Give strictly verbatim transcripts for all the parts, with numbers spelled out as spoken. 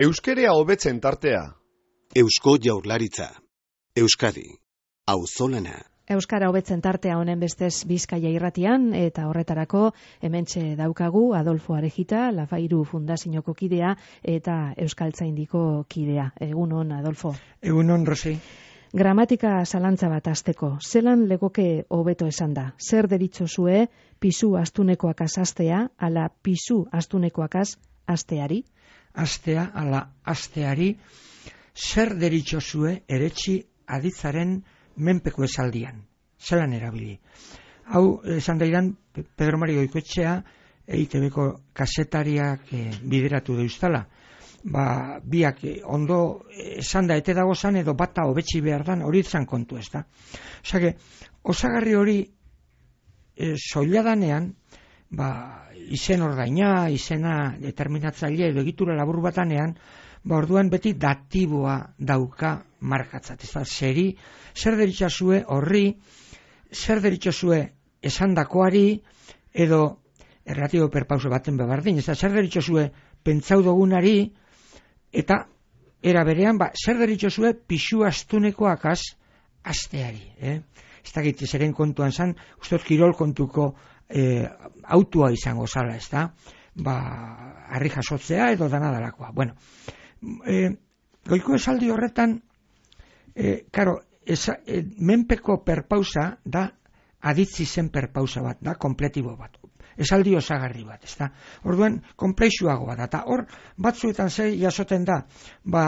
Euskerea hobetzen tartea. Eusko Jaurlaritza. Euskadi. Auzolana. Euskara hobetzen tartea honen bestez Bizkaia irratian, eta horretarako hementxe daukagu Adolfo Arejita, Lafairu Fundazioko kidea eta Euskaltzaindiko kidea. Egunon, Adolfo. Egunon, Rosi. Gramatika zalantza bat hasteko. Zelan legoke hobeto esan da? Zer deritzozue pisu astunekoakaz astea, ala pisu astunekoakaz asteari? Astea, ala asteari, zer deritzozue eretsi aditzaren menpeko esaldian, zelan erabili. Hau, esan daidan, Pedro Mari Goikoetxea, E I Te Beko kasetariak e, bideratu deuztala. Ba, biak e, ondo esan da ete dago zan, edo bata hobetsi behar dan, hori zan kontu ez da. Osake, osagarri hori e, soiladanean, ba, izen ordaina, izena determinatzaile edo egitura labur batanean, ba, orduan beti datiboa dauka markatzat. Ez da, zeri, zer deritzazue horri, zer deritzazue esandakoari, edo erlatibo perpauso baten bebardin, ez da, zer deritzazue pentsau dugunari, eta era berean, ba, zer deritzazue pixu astunekoakaz asteari. Eh? Ez da, giti, zeren kontuan zan, ustot kirol kontuko e, autua izango zala, ez da, ba, harri jasotzea edo danadalakoa. Bueno, e, goiko esaldi horretan, e, karo, esa, e, menpeko perpausa da aditzi zen perpausa bat, da kompletibo bat. Esaldi osagarri bat, ez da. Orduan, komplexuagoa da. Eta hor, batzuetan zei jasoten da, ba,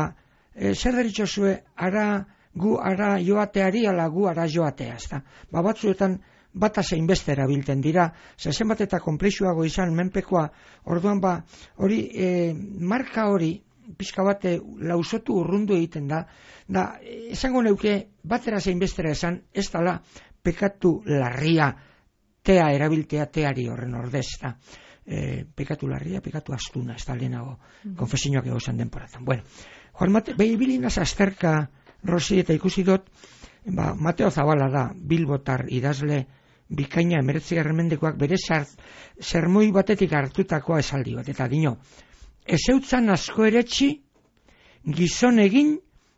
e, zer deritzozue ara gu ara joateari, ala gu ara joatea, ez da. Ba, batzuetan bata zein beste erabilten dira, zezen bat eta komplexuago izan menpekoa, orduan ba, hori, e, marka hori, pixka bate lausotu urrundu egiten da, da, esango neuke, batera zein bestera esan, ez dala, pekatu larria, tea erabiltea teari horren ordez, da. E, pekatu larria, pekatu astuna, ez da lehenago, mm-hmm. konfesioak egozan denporatan. Bueno, Juan Mate, behi bilinaz azterka, Rosi, eta ikusi dut, ba, Mateo Zabala da, bilbotar idazle, bikaina emeretzigarren mendekoak bere zermoi batetik hartutakoa esaldi bat, eta dino, ezeutzan asko eretsi, gizon egin,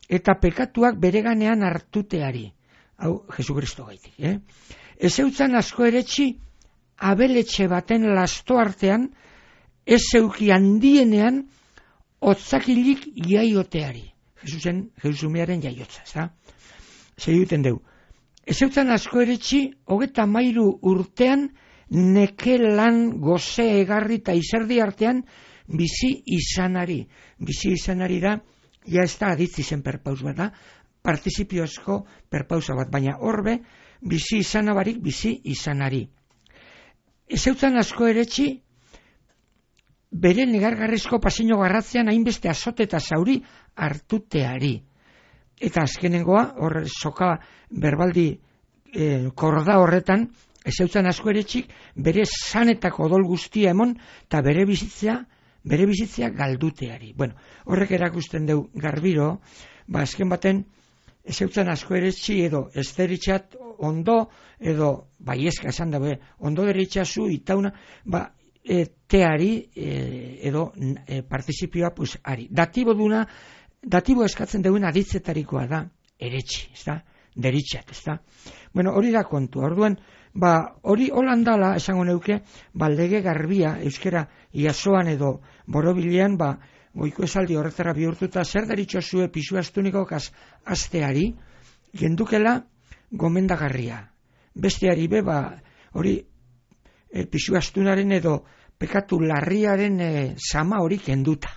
eta pekatuak bereganean hartuteari. Hau, Jesu Kristo gaitik, eh? Ezeutzan asko eretsi, abeletxe baten lasto artean, ez zeuki handienean, otzakilik jaioteari. Jesusen, Jesusumearen jaiotza, ez da? Zer duten deu. Ezeutzan asko eretsi, hogeta mairu urtean, neke lan goze egarri eta izerdi artean, bizi izanari. Bizi izanari da, ja ez da aditzi zen perpaus bat da, partizipiozko perpausa bat, baina horbe, bizi izanabarik bizi izanari. Ezeutzan asko eretsi, bere negargarrizko pasino garratzean hainbeste azote eta zauri hartuteari. Eta azkenengoa, hor soka berbaldi e, korda horretan, ezeutzan asko eretxik, bere sanetako odol guztia emon, eta bere bizitzea, bere bizitzea galduteari. Bueno, horrek erakusten deu garbiro, ba azken baten, ezeutzan asko eretxi edo ez deritxat ondo, edo, bai eska esan dabe, ondo deritxazu itauna, ba, e, teari e, edo e, partizipioa pues, ari. Datibo duna, datibo eskatzen duen aditzetarikoa da, eretxi, ez da, deritxat, ez da. Bueno, hori da kontu, orduan, ba, hori holandala, esango neuke, ba, lege garbia, euskera iasoan edo borobilean, ba, goiko esaldi horretara bihurtuta, zer deritzozue pisu astunikokaz asteari, gendukela gomendagarria. Besteari be, ba, hori e, pisu astunaren edo pekatu larriaren e, sama hori kenduta.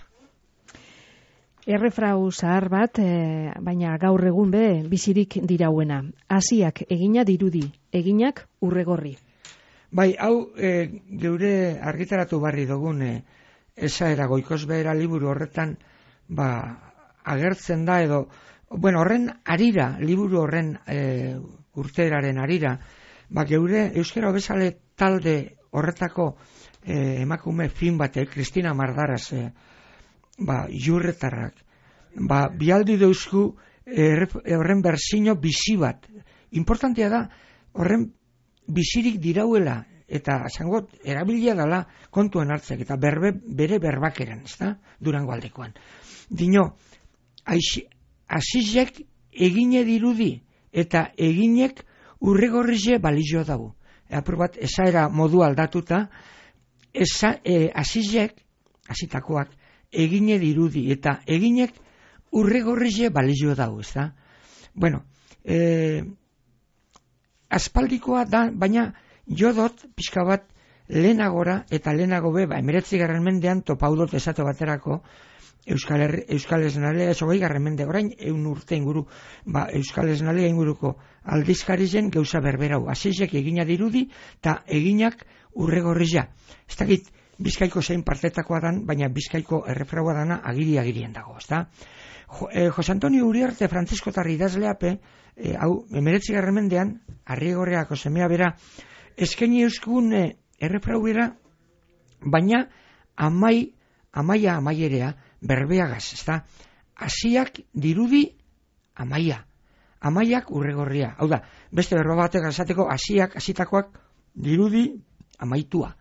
Errefrau zahar bat, e, baina gaur egun be bizirik dirauena. Hasiak egina dirudi, eginak urregorri. Bai, hau e, geure argitaratu barri dugun e, esaera goikoz behera liburu horretan ba, agertzen da edo, bueno, horren arira, liburu horren e, urteraren arira, ba, geure euskera hobezale talde horretako e, emakume fin bate, Kristina Mardaraz, e, ba, jurretarrak, ba, bialdi deuzku horren berzino bizi bat. Importantea da, horren bizirik dirauela eta esango erabilia dela kontuan hartzek, eta berbe, bere berbakeran, ez da, Durango aldekoan. Dino, azizek egine dirudi, eta eginek urregorrize balizio dago. Apur bat, esaera modu aldatuta, esa, e, azizek, azitakoak, egine dirudi, eta eginek urregorrize balizio dago, ez da. Bueno, e, aspaldikoa da, baina jodot, pixka bat, lehenagora, eta lehenago be, ba, emeretzi garren mendean, topaudot esate baterako, Euskal, Herri, Euskal Esnalea, esogei garren mende, orain, eun urte inguru, ba, Euskal Esnalea inguruko aldizkari zen, gauza berberau, azizek egina dirudi, eta eginak urregorrizia. Ez dakit, Bizkaiko zein partetakoa dan, baina Bizkaiko errefraua dana agiri-agirien dago, ez da? Jo, eh, Jose Antonio Uriarte Francisco Tarri idazleape, eh, hau, emeretzi garren mendean, Arrigorriako semea bera, eskaini euskun eh, errefrauera, baina amai, amaia amaierea, berbeagaz, ez da? Asiak dirudi amaia, amaiak urregorria. Hau da, beste berba batek azateko, asiak, asitakoak dirudi amaitua.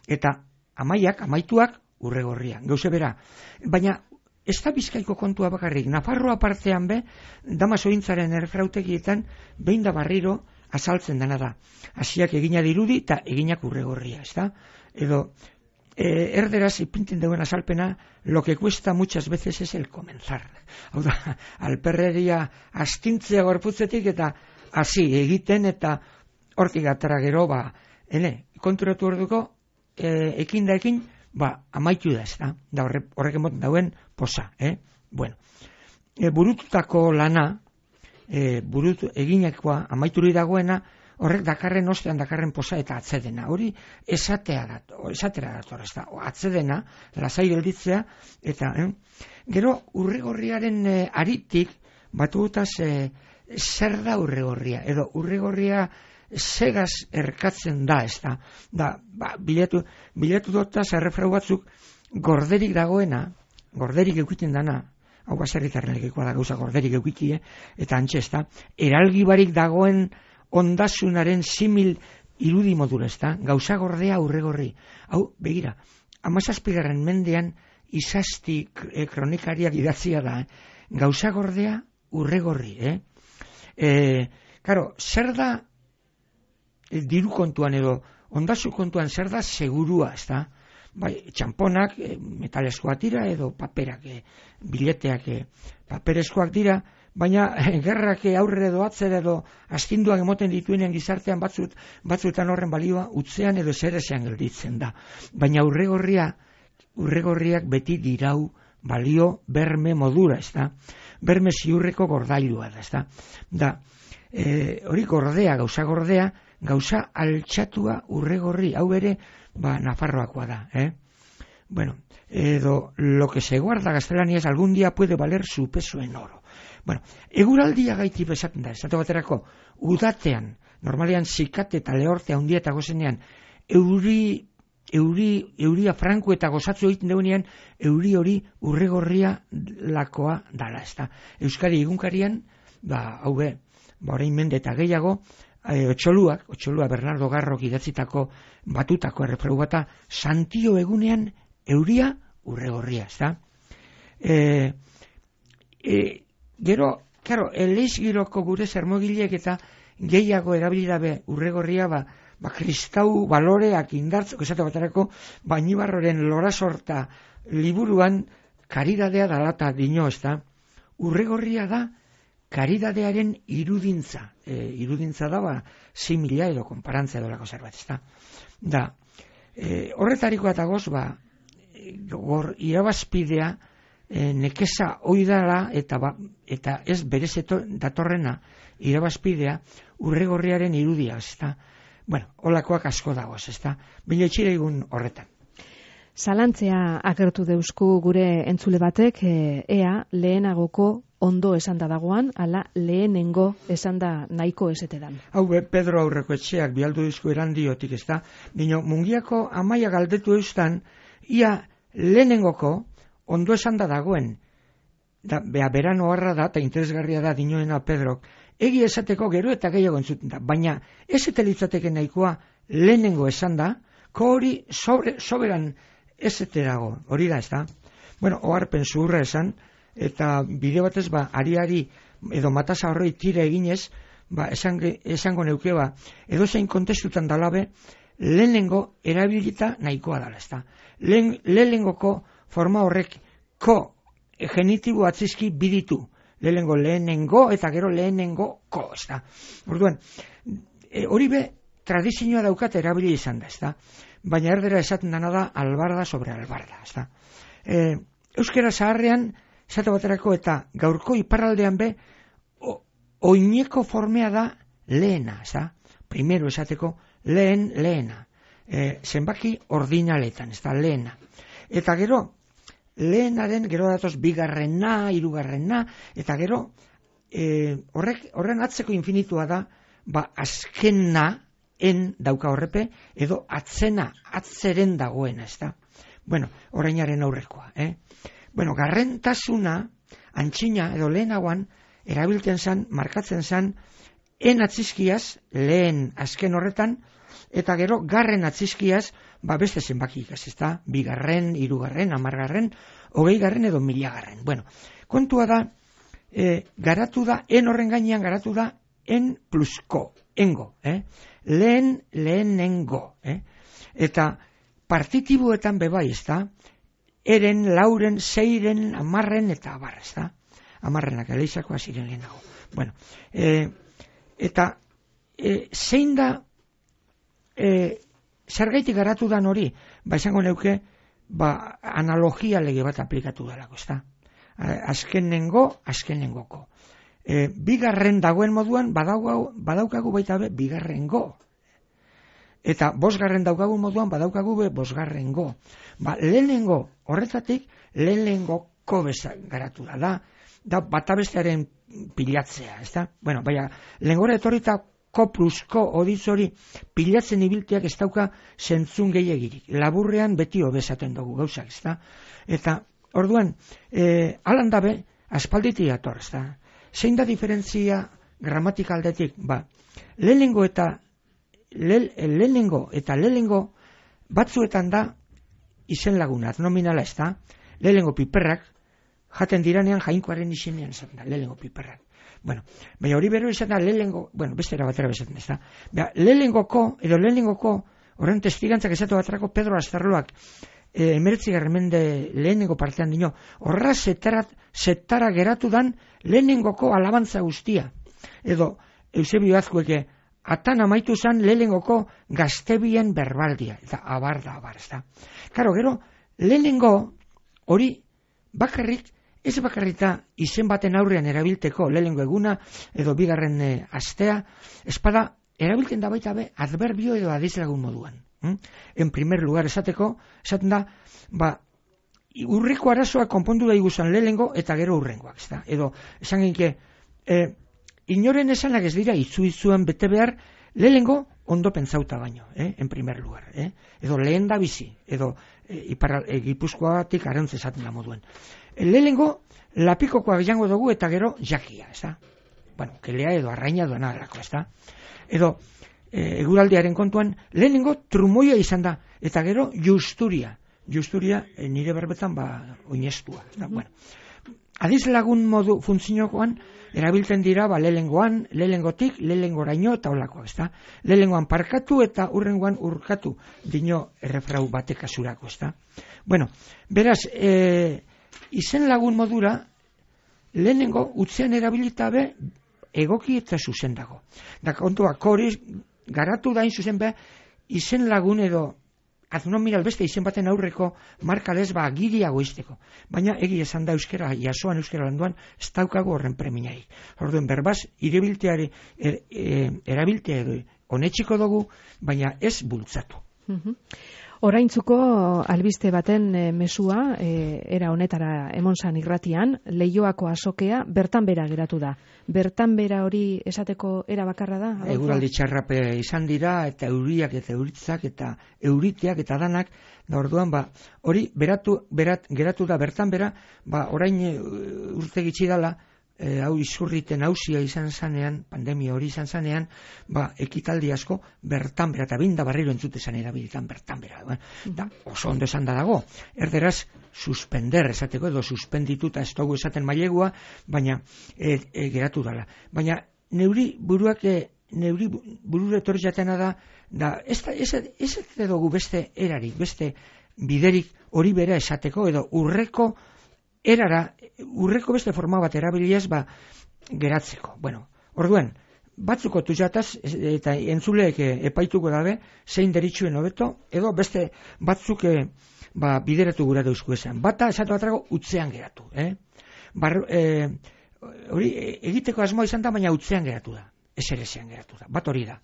Eta amaiak, amaituak urregorria. Gauze bera. Baina, ez da Bizkaiko kontua bakarrik. Nafarroa partean be, Damasointzaren erfrautegietan, behin da barriro azaltzen dena da. Asiak egina dirudi eta eginak urregorria, ez da? Edo, eh, erderaz ipinten duen azalpena, lo que cuesta muchas veces es el comenzar. Hau da, alperreria astintzea gorputzetik eta hasi egiten eta hortik atara gero, ba, ene, konturatu orduko, E, ekin da ekin, ba, amaitu da ez da, da horre, horrek emoten dauen posa, eh? Bueno, e, burututako lana, e, burutu eginekoa, amaituri dagoena, horrek dakarren ostean dakarren posa eta atzedena, hori esatea dat, esatera dator, ez da, atzedena, lasai gelditzea, eta, eh? Gero, urregorriaren e, aritik, batu gutaz, e, zer da urregorria, edo urregorria segaz erkatzen da, ez da, da, ba, bilatu, bilatu dotaz errefrau batzuk gorderik dagoena, gorderik eukiten dana, hau baserritarren legekoa da gauza gorderik eukitie, eta antxe ez da, eralgibarik dagoen ondasunaren simil irudi modura, ez da, gauza gordea urregorri. Hau, begira, amazazpigarren mendean izasti e, kronikariak idatzia da, eh? Gauza gordea urregorri, eh? E, karo, zer da diru kontuan edo ondasu kontuan zer da segurua, ez da? Bai, txamponak, e, metaleskoak dira edo paperak, e, bileteak e, papereskoak dira, baina e, gerrak aurre edo atzer edo astinduak emoten dituenean gizartean batzut, batzuetan horren balioa utzean edo zerezean gelditzen da. Baina urregorria, urregorriak beti dirau balio berme modura, ez da? Berme ziurreko gordailua da, ez da? Da, e, hori gordea, gauza gordea, gauza altxatua urregorri, hau ere, ba, Nafarroakoa da, eh? Bueno, edo, lo que se guarda gaztelaniaz algún día puede valer su peso en oro. Bueno, eguraldia gaiti bezaten da, esate baterako, udatean, normalean zikate eta lehorte handia eta gozenean, euri, euri, euria franko eta gozatzu egiten deunean, euri hori urregorria lakoa dala, ez da? Euskari egunkarian, ba, hau be, ba, orain mende eta gehiago, E, otxoluak, otxolua Bernardo Garrok idatzitako batutako errefrau bata, santio egunean euria urregorria, ez da? E, e, gero, claro, eleiz giroko gure zermogileek eta gehiago erabilidabe urregorria, ba, ba kristau baloreak indartzeko, esate baterako, Bainibarroren lorasorta liburuan karidadea dalata dino, ez da? Urregorria da, karidadearen irudintza, e, irudintza da, ba, simila edo konparantza edo lako zerbait, ez da. Da, e, horretarikoa eta goz, ba, gor irabazpidea, e, nekeza oidala, eta, ba, eta ez berez datorrena irabazpidea, urregorriaren irudia, ez da. Bueno, holakoak asko dagoz, ez da. Bila itxire egun horretan. Zalantzea agertu deusku gure entzule batek, e, ea lehenagoko ondo esan da dagoan, ala lehenengo esan da nahiko esetedan. Hau be, Pedro aurreko etxeak bialdu dizku erandiotik, ez da? Dino, mungiako amaia galdetu eustan, ia lehenengoko ondo esan da dagoen, da, bea berano harra da, eta interesgarria da dinoena Pedrok, egi esateko gero eta gehiago entzuten da, baina ez eta litzateke nahikoa lehenengo esan da, ko hori sobre, soberan ezete dago, hori da ez da. Bueno, oharpen zuhurra esan, eta bide batez ba, ari-ari edo matasa horrei tira eginez, ba, esan, esango neuke ba, edo zein kontestutan dalabe, lehenengo erabilita nahikoa dala, ez da. Lehen, lehenengoko forma horrek ko genitibo atzizki biditu, lehenengo lehenengo eta gero lehenengo ko, ez da. Orduan, e, hori be, tradizioa daukat erabili izan da, ez da. Baina erdera esaten dana da albarda sobre albarda, ez da. E, euskera zaharrean, esate baterako eta gaurko iparraldean be, o, oineko formea da lehena, ez da. Primero esateko lehen lehena. E, zenbaki ordinaletan, ez da, lehena. Eta gero, lehenaren, gero datoz bigarrena, hirugarrena, eta gero, e, horrek, horren atzeko infinitua da, ba, azkena, en dauka horrepe, edo atzena, atzeren dagoena, ez da. Bueno, orainaren aurrekoa, eh? Bueno, garrentasuna, antxina, edo lehenagoan, erabiltzen zan, markatzen zan, en atzizkiaz, lehen azken horretan, eta gero garren atzizkiaz, ba beste zenbakik, ez da, bigarren, hirugarren, hamargarren, hogeigarren edo milagarren. Bueno, kontua da, e, garatu da, en horren gainean garatu da, en plusko, engo, eh? Lehen, lehenengo, eh? Eta partitibuetan bebai, ez da, eren, lauren, seiren, amarren, eta abar, ez da, amarrenak, eleixakoa ziren lehenago. Bueno, e, eta e, zein da, e, zergaitik garatu dan hori, ba izango neuke, ba analogia lege bat aplikatu dalako, ez da. Azkenengo, azkenengoko. E, bigarren dagoen moduan, badaukagu, badaukagu baita be, bigarrengo. Eta bosgarren daukagu moduan, badaukagu be, bosgarrengo. Ba, lehenengo horretatik, lehenengoko beza garatu da, da, da batabestearen pilatzea, ez da. Bueno, baina, lehengora etorrita, ko plusko oditz hori pilatzen ibilteak ez dauka zentzun gehiagirik. Laburrean beti hobezaten dugu gauzak, ez da. Eta, orduan, e, alan dabe, aspalditi dator, ez da. Zein da diferentzia gramatikaldetik? Ba, lehenengo eta le, lehenengo eta lehenengo batzuetan da izen laguna, nominala, ez da. Lehenengo piperrak, jaten diranean jainkoaren izenean zaten da, lehenengo piperrak. Bueno, baina hori bero izan da lehenengo, bueno, beste erabatera bezaten ez da. Baina, lehenengoko, edo lehenengoko, horren testigantzak esatu baterako Pedro Astarloak, e, emeretzi garremende lehenengo partean dino, horra zetara, zetara geratu dan lehenengoko alabantza guztia. Edo, Eusebio Azkueke, atan amaitu zan lehenengoko gaztebien berbaldia, eta abar da, abar, ez da. Karo, gero, lehenengo, hori, bakarrik, ez bakarrita izen baten aurrean erabilteko lehenengo eguna edo bigarren e, astea, espada erabiltzen da baita be adverbio edo adizlagun moduan. Hm? En primer lugar esateko, esaten da, ba, urriko arazoa konpondu da iguzan lehenengo eta gero urrengoak. Ez da? Edo, esan genke, e, inoren esanak ez dira izu-izuan bete behar lehenengo ondo pentsauta baino, eh? En primer lugar. Eh? Edo lehen da bizi, edo e, ipara, e, Gipuzkoatik arantz esaten da moduen. Lehenengo, lapikokoak jango dugu eta gero jakia, ez da? Bueno, kelea edo arraina duena delako, ez da? Edo, e, eguraldiaren kontuan, lehenengo trumoia izan da, eta gero justuria. Justuria, e, nire berbetan, ba, oinestua, ez da? Mm-hmm. Bueno, adiz lagun modu funtziokoan, erabiltzen dira, ba, lehenengoan, lehenengotik, lehenengoraino eta olakoak, ez da? Lehenengoan parkatu eta urrengoan urkatu, dino errefrau batek asurako, ez da? Bueno, beraz, e, izen lagun modura, lehenengo utzean erabilita be, egoki eta zuzen dago. Da kontua, koriz, garatu dain zuzen be, izen lagun edo, aznomiral beste izen baten aurreko markalez ba agiriago izteko. Baina egi esan da euskera, jasoan euskera landuan, ez daukago horren preminaik. Orduen berbaz, irebilteari, er, er, erabiltea edo, honetxiko dugu, baina ez bultzatu. Mhm. Oraintzuko albiste baten e, mesua, e, era honetara emonsan irratian, Leioako azokea bertan bera geratu da. Bertan bera hori esateko era bakarra da? Adolfo? Eguraldi txarrape izan dira, eta euriak eta euritzak eta euriteak eta danak, da orduan, ba, hori beratu, berat, geratu da bertan bera, ba, orain urte gitxi dala, e, hau izurriten hausia izan zanean, pandemia hori izan zanean, ba, ekitaldi asko bertan bera, eta binda barriro entzute zan erabilitan bertan bera. Eh? Da, oso ondo esan da dago. Erderaz, suspender esateko, edo suspendituta ez dugu esaten mailegua, baina e, e, geratu dala. Baina neuri buruak, e, neuri burure etorri jatena da, da ez, ez, ez, ez dugu beste erarik, beste biderik hori bera esateko, edo urreko erara, urreko beste forma bat erabiliaz, ba, geratzeko. Bueno, orduan, batzuko tuzataz, eta entzuleek epaituko dabe, zein deritxuen hobeto, edo beste batzuk e, ba, bideratu gura dauzku esan. Bata, esatu batrago, utzean geratu. Eh? Bar, e, hori, egiteko asmoa izan da, baina utzean geratu da. Eserezean geratu da. Bat hori da.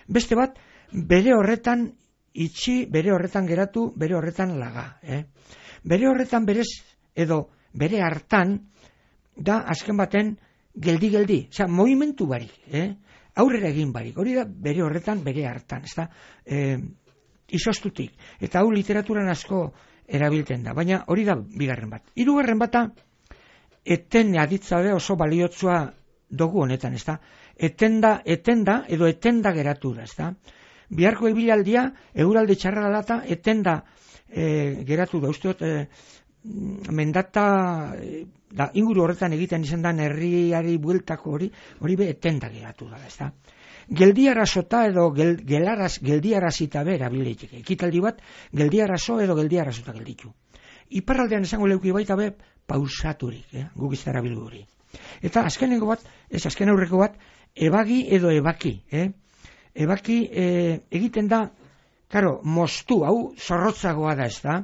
Beste bat, bere horretan itxi, bere horretan geratu, bere horretan laga. Eh? Bere horretan berez, edo bere hartan, da azken baten geldi-geldi, osea, movimentu barik, eh? Aurrera egin barik, hori da bere horretan, bere hartan, ez da, eh, izostutik, eta hau literaturan asko erabilten da, baina hori da bigarren bat. Hirugarren bata, eten aditzabe oso baliotsua dugu honetan, ez da, etenda, etenda, edo etenda geratu da, ez da, biharko ibilaldia, eguraldi txarra lata, etenda eh, geratu da, usteot, eh, mendata da, inguru horretan egiten izan da herriari bueltako hori, hori be etenda geratu da, ez da. Geldiarazota edo gel, gelaraz, geldiarazita bera bileiteke. Ekitaldi bat, geldiarazo edo geldiarazota gelditu. Iparraldean esango leuki baita be, pausaturik, eh? Guk iztara bilgu hori. Eta azkeneko bat, ez azken aurreko bat, ebagi edo ebaki, eh? Ebaki eh, egiten da, karo, moztu, hau zorrotzagoa da, ez da,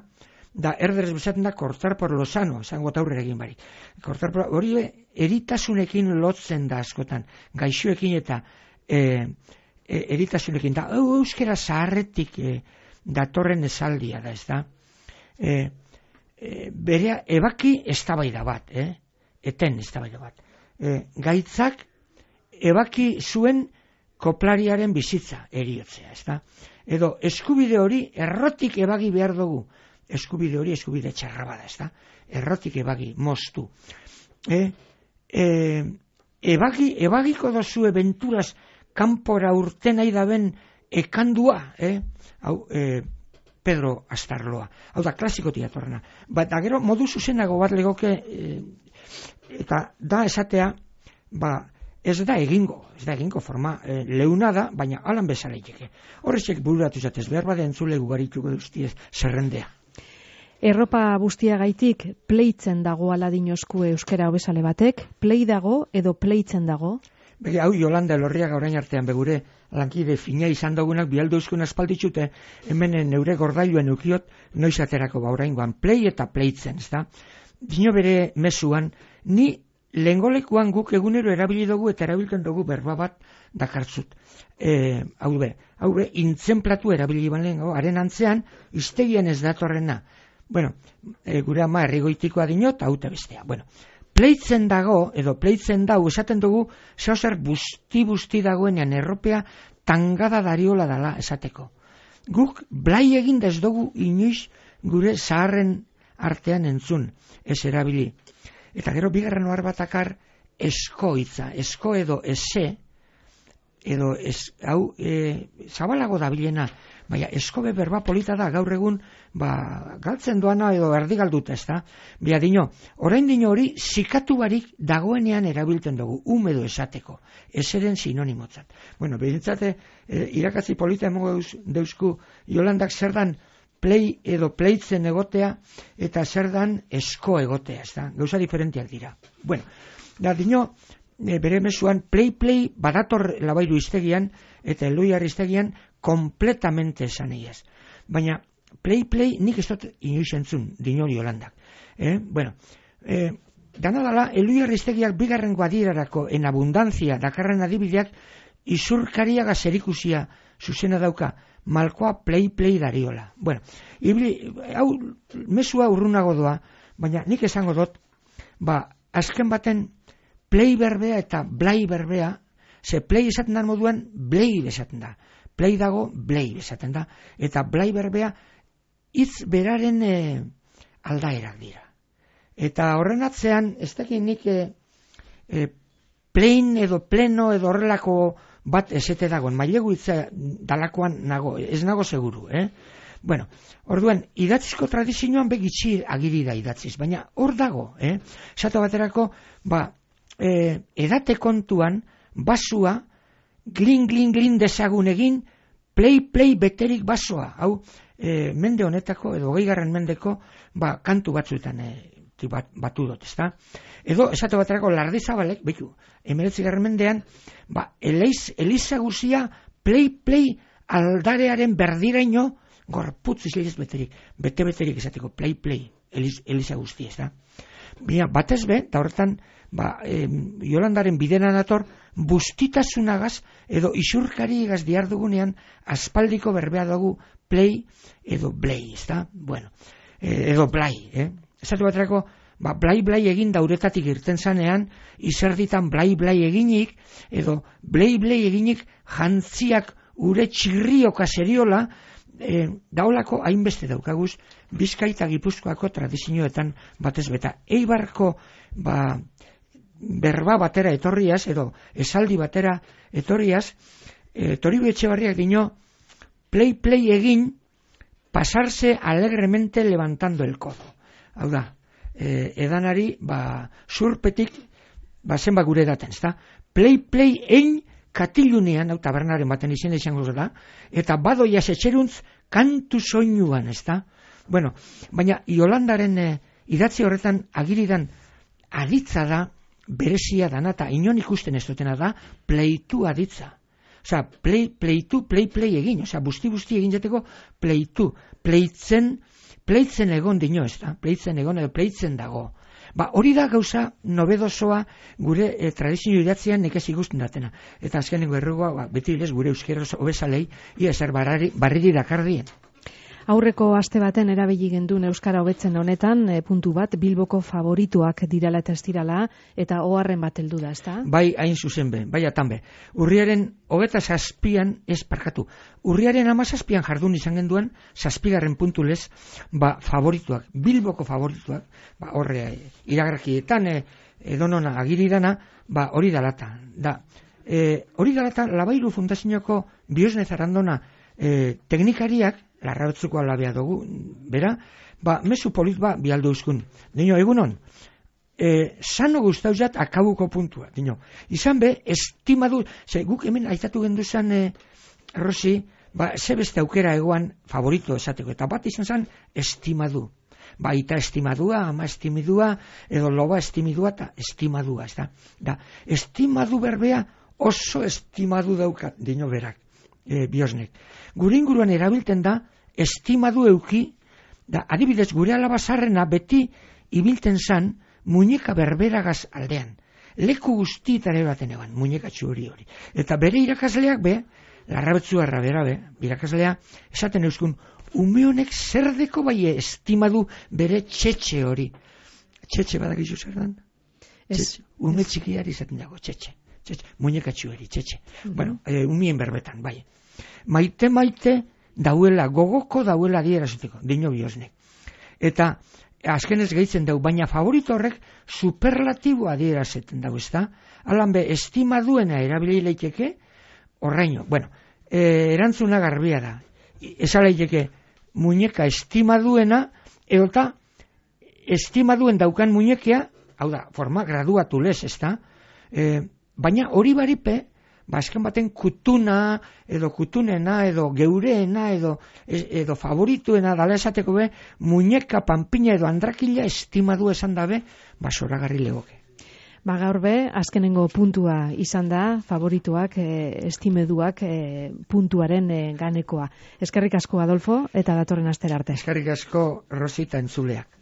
da erderes bezaten da cortar por lo sano, esango aurrera egin barik. Cortar por, hori eritasunekin lotzen da askotan, gaixoekin eta e, e, eritasunekin da, hau euskera zaharretik e, datorren esaldia da, ez da. E, e, berea, ebaki eztabaida bat, eh? Eten eztabaida bat. E, gaitzak ebaki zuen koplariaren bizitza eriotzea, ez da. Edo eskubide hori errotik ebagi behar dugu. Eskubide hori eskubide txarra bada, ez da? Errotik ebagi, moztu. E, e, ebagi, ebagiko dozu ebenturaz kanpora urten nahi daben ekandua, eh? Hau, e, Pedro Astarloa. Hau da, klasikotik atorrena. Ba, gero, modu zuzenago bat legoke, e, eta da esatea, ba, ez da egingo, ez da egingo forma e, leuna da, baina alan bezala iteke. Horrezek bururatu zatez, behar bade entzule gugarituko duztiez zerrendea. Erropa guztiagaitik pleitzen dago aladinozku euskera hobesale batek, plei dago edo pleitzen dago? Bege, hau Jolanda Elorriaga orain artean begure lankide fina izan dugunak bialdo euskun aspalditxute, hemen neure gordailuen ukiot noiz aterako ba oraingoan plei eta pleitzen, ez da? Dino bere mezuan, ni lengolekuan guk egunero erabili dugu eta erabiltzen dugu berba bat dakartzut. E, hau be, hau be, intzenplatu erabili ban lehengo, haren antzean, iztegian ez datorrena. Bueno, e, gure ama errigoitikoa dinot, hau eta bestea. Bueno, pleitzen dago, edo pleitzen dau, esaten dugu, zauzer busti-busti dagoenean erropea tangada dariola dala esateko. Guk blai egin ez dugu inoiz gure zaharren artean entzun, ez erabili. Eta gero bigarren ohar batakar esko hitza, esko edo ese, edo ez, hau, e, zabalago dabilena, baina eskobe berba polita da gaur egun, ba, galtzen doana edo erdigalduta, ez da? Bia dino, orain dino hori zikatu barik dagoenean erabiltzen dugu, umedo esateko, eseren sinonimotzat. Bueno, behintzate, e, irakatzi polita emongo deusku Jolandak zer dan play edo pleitzen egotea, eta zer dan esko egotea, ez da? Gauza diferentiak dira. Bueno, da dino, e, bere mesuan, play-play badator labairu iztegian, eta eloiar iztegian, kompletamente esan egiaz. Baina, play-play nik ez dut inoiz entzun, dinori Holandak. Eh? Bueno, eh, dana dala, eloiar iztegiak bigarren guadirarako en abundantzia dakarren adibideak izurkariaga zerikusia zuzena dauka, malkoa play-play dariola. Bueno, ibili, hau mesua urrunago doa, baina nik esango dut, ba, azken baten play berbea eta blai berbea, ze play esaten da moduan, blai esaten da. Play dago, blai esaten da. Eta blai berbea, hitz beraren e, aldaerak dira. Eta horren atzean, ez dakit nik e, e, plein edo pleno edo horrelako bat esete dagoen, mailegu hitza dalakoan nago, ez nago seguru, eh? Bueno, orduan, idatzizko tradizioan begitxi agiri da idatziz, baina hor dago, eh? Esatu baterako, ba, e, edate kontuan, basua, glin, glin, glin dezagun egin, play, play beterik basoa, hau, e, mende honetako, edo hogeigarren mendeko, ba, kantu batzuetan e, bat, batu dut, ezta? Edo, esatu baterako, Lardizabalek, behitu, emeretzigarren mendean, ba, eleiz, Eliza guzia, play, play, aldarearen berdiraino, gorputz izleiz beterik, bete-beterik esateko, play, play, Eliz, Eliza guzti, ez da? Bina, batez be, eta horretan, ba, e, Jolandaren bidena dator, bustitasunagaz, edo isurkari egaz diar dugunean, aspaldiko berbea dugu, play, edo blay, ez da? Bueno, e, edo blai, eh? Esatu baterako, ba, blai, blai egin dauretatik irten zanean, izerditan blai, blai eginik, edo blai, blai eginik, jantziak ure txirrioka seriola, E, daolako hainbeste daukaguz Bizkai eta Gipuzkoako tradizioetan batez beta. Eibarko ba, berba batera etorriaz, edo esaldi batera etorriaz, e, Toribio Etxebarriak dino, play, play egin, pasarse alegremente levantando el codo. Hau da, e, edanari, ba, surpetik, ba, zenba gure daten, ezta? Play, play egin, katilunean, hau tabernaren baten izena izango da, eta badoiaz etxeruntz kantu soinuan, ez da? Bueno, baina Jolandaren e, idatzi horretan agiridan aditza da, berezia dana, eta inon ikusten ez dutena da, pleitu aditza. Osa, play, pleitu, play, play egin, osa, busti-busti egin jateko pleitu, pleitzen, pleitzen egon dino, ez da? Pleitzen egon edo pleitzen dago. Ba, hori da gauza nobedosoa gure e, tradizio idatzean nekez ikusten datena. Eta azkenengo errugoa, ba, beti ilez gure euskeroz obesalei, ia ezer barriri, barriri dakardien. Aurreko aste baten erabili gendun euskara hobetzen honetan, e, puntu bat, Bilboko favorituak dirala eta estirala, eta oharren bat heldu da, ezta? Bai, hain zuzen be, bai atan be. Urriaren hogeta zazpian, ez parkatu, urriaren hamazazpian jardun izan genduen, zazpigarren puntulez, ba, favorituak, Bilboko favorituak, ba, horre, iragarkietan, e, edonona agiridana, ba, hori dalata, da. E, hori dalata, Labairu Fundazioko Biosne Zarandona e, teknikariak, larrabetzuko alabea dugu, bera, ba, mesu polit ba, bialdu euskun. Dino, egunon, e, sano guztauzat akabuko puntua, dino. Izan be, estimadu, ze, guk hemen aitatu genduzan, e, Rosi, ba, ze beste aukera egoan favorito esateko, eta bat izan zen, estimadu. Ba, ita estimadua, ama estimidua, edo loba estimidua, eta estimadua, ez da. Da, estimadu berbea oso estimadu daukat, dino berak. E, biosnek. Gure inguruan erabilten da estimadu euki, da adibidez gure alabazarrena beti ibilten zan muñeka berberagaz aldean. Leku guztietare baten eban, muñekatxu hori hori. Eta bere irakasleak be, larrabetzu erra bera be, irakaslea, esaten euskun, ume honek zerdeko bai estimadu bere txetxe hori. Txetxe badakizu zer dan? Txetxe. Ume txikiari izaten dago, txetxe. Txetxe, muñekatxu hori, txetxe. Uh-huh. Bueno, e, umien berbetan, bai. Maite maite dauela, gogoko dauela dierazuteko, dino Biosnek. Eta azkenez gehitzen dau, baina favorito horrek superlatiboa dierazeten dau, ez da? Alan be, estimaduena erabili leiteke, horreino. Bueno, e, erantzuna garbia da. Eza leiteke, muñeka estimaduena, eota, estimaduen daukan muñekea, hau da, forma graduatu lez, ez da? E, baina hori baripe, ba, esken baten kutuna, edo kutunena, edo geureena, edo, edo favorituena, dala esateko be, muñeka, panpina edo andrakila estimadu esan dabe, ba, zoragarri legoke. Ba, gaur be, azkenengo puntua izan da, favorituak, e, estimeduak, e, puntuaren e, ganekoa. Eskerrik asko, Adolfo, eta datorren astera arte. Eskerrik asko, Rosita entzuleak.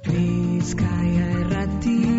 Bizkaia erratia